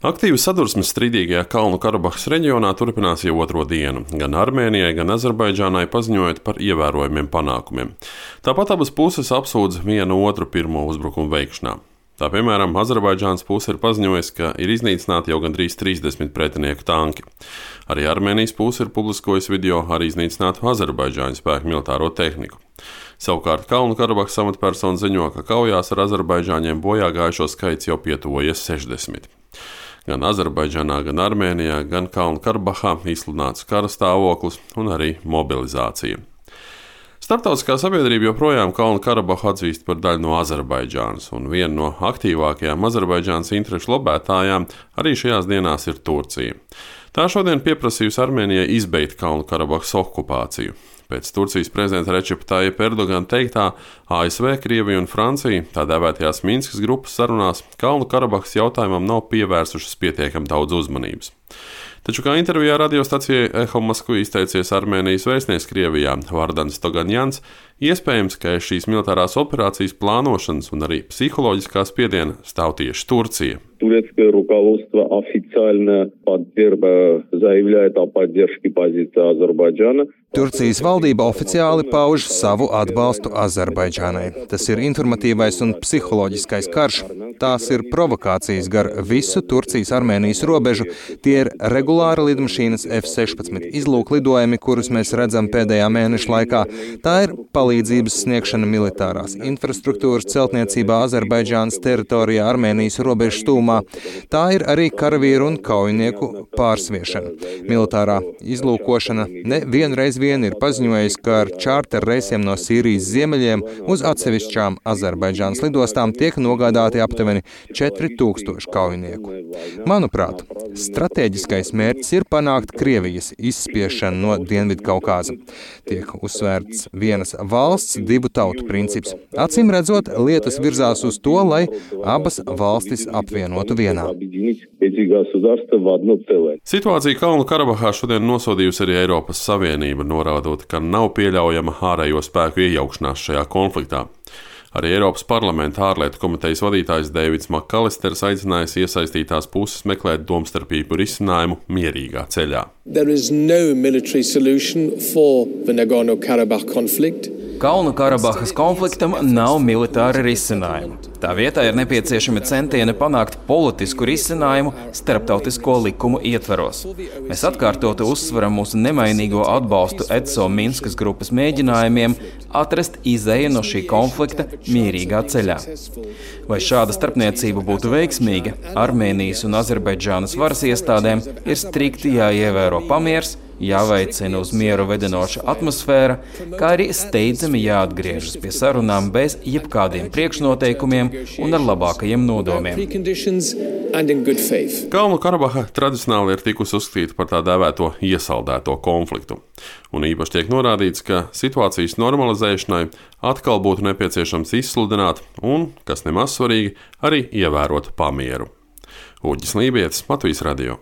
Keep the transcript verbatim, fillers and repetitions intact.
Aktīvas sadursmes strīdīgajā Kalnu Karabahas reģionā turpinās jau otro dienu. Gan Armēnijai, gan Azerbaidžānai paziņojot par ievērojumiem panākumiem. Tāpat abas puses apsūdz vienu otru pirmo uzbrukumu veikšanā. Tā piemēram, Azerbaidžānas puse ir paziņojusi, ka ir iznīcināti jau gandrīz trīsdesmit pretinieku tanki. Arī Armēnijas puse ir publiskojusi video ar iznīcinātu Azerbaidžāņu spēku militāro tehniku. Savukārt Kalnu Karabahas amatpersona ziņo, ka kaujās ar Azerbaidžāņiem bojā gājušo skaits jau pietuvojies sešdesmit. Gan Azerbaidžānā, gan Armēnijā, gan Kalnu Karabahā izsludināts kara stāvoklis un arī mobilizācija. Starptautiskā sabiedrība joprojām Kalnu Karabahu atzīst par daļu no Azerbaidžānas, un viena no aktīvākajām Azerbaidžānas interešu lobētājām arī šajās dienās ir Turcija. Tā šodien pieprasījusi Armēnijai izbeigt Kalnu Karabahas okupāciju. Pēc Turcijas prezidenta Rečepa Tajipa Erdogana teiktā, A S V, Krievija un Francija tā dēvētajās Minskas grupas sarunās Kalnu Karabahas jautājumam nav pievērsušas pietiekami daudz uzmanības. Taču kā intervijā radiostacijai Eho Moskva izteicies Armēnijas vēstnieks Krievijā Vardans Toganjans, iespējams, ka šīs militārās operācijas plānošanas un arī psiholoģiskā spiediena stāv tieši Turcija. Турецкое руководство официально поддерживает, заявляет о поддержке позиции Азербайджана. Turcijas valdība oficiāli pauž savu atbalstu Azerbaidžānai. Tas ir informatīvais un psiholoģiskais karš. Tās ir provokācijas gar visu Turcijas-Armēnijas robežu. Tie ir regulāri lidmašīnas F sešpadsmit izlūklidojumi, kurus mēs redzam pēdējā mēneša laikā. Tā ir palīdzības sniegšana militārās infrastruktūras celtniecībā Azerbaidžānas teritorijā Armēnijas robežu stūmā. Tā ir arī karavīru un kaujinieku pārsviešana. Militārā izlūkošana ne vienreiz vien ir paziņojis, ka ar čārter reisiem no Sīrijas ziemeļiem uz atsevišķām Azerbaidžānas lidostām tiek nogādāti aptuveni četri tūkstoši kaujinieku. Manuprāt, stratēģiskais mērķis ir panākt Krievijas izspiešanu no Dienvidkaukāza. Tiek uzsvērts vienas valsts, divu tautu princips. Acīm redzot, lietas virzās uz to, lai abas valstis apvienotu vienā. Situācija Kalnu Karabahā šodien nosodījusi arī Eiropas Savienība, norādot, ka nav pieļaujama ārējo spēku iejaukšanās šajā konfliktā. Arī Eiropas parlamenta ārlietu komitejas vadītājs Deivids Makalisters aicinājis iesaistītās puses meklēt domstarpību risinājumu mierīgā ceļā. There is no military solution for the Nagorno-Karabakh conflict. Kalnu Karabahas konfliktam nav militāra risinājuma. Tā vietā ir nepieciešami centieni panākt politisku risinājumu starptautisko likumu ietvaros. Mēs atkārtoti uzsveram mūsu nemainīgo atbalstu E D S O Minskas grupas mēģinājumiem atrast izēju no šī konflikta mierīgā ceļā. Lai šāda starpniecība būtu veiksmīga, Armēnijas un Azerbaidžānas varas iestādēm ir strikti jāievēro pamiers, jāveicina uz mieru vedinoša atmosfēra, kā arī steidzami jāatgriežas pie sarunām bez jebkādiem priekšnoteikumiem un ar labākajiem nodomiem. Kalnu Karabaha tradicionāli ir tikusi uzskatīta par tā dēvēto iesaldēto konfliktu. Un īpaši tiek norādīts, ka situācijas normalizēšanai atkal būtu nepieciešams izsludināt un, kas nemaz svarīgi, arī ievērot pamieru. Uģis Lībietis, Latvijas radio.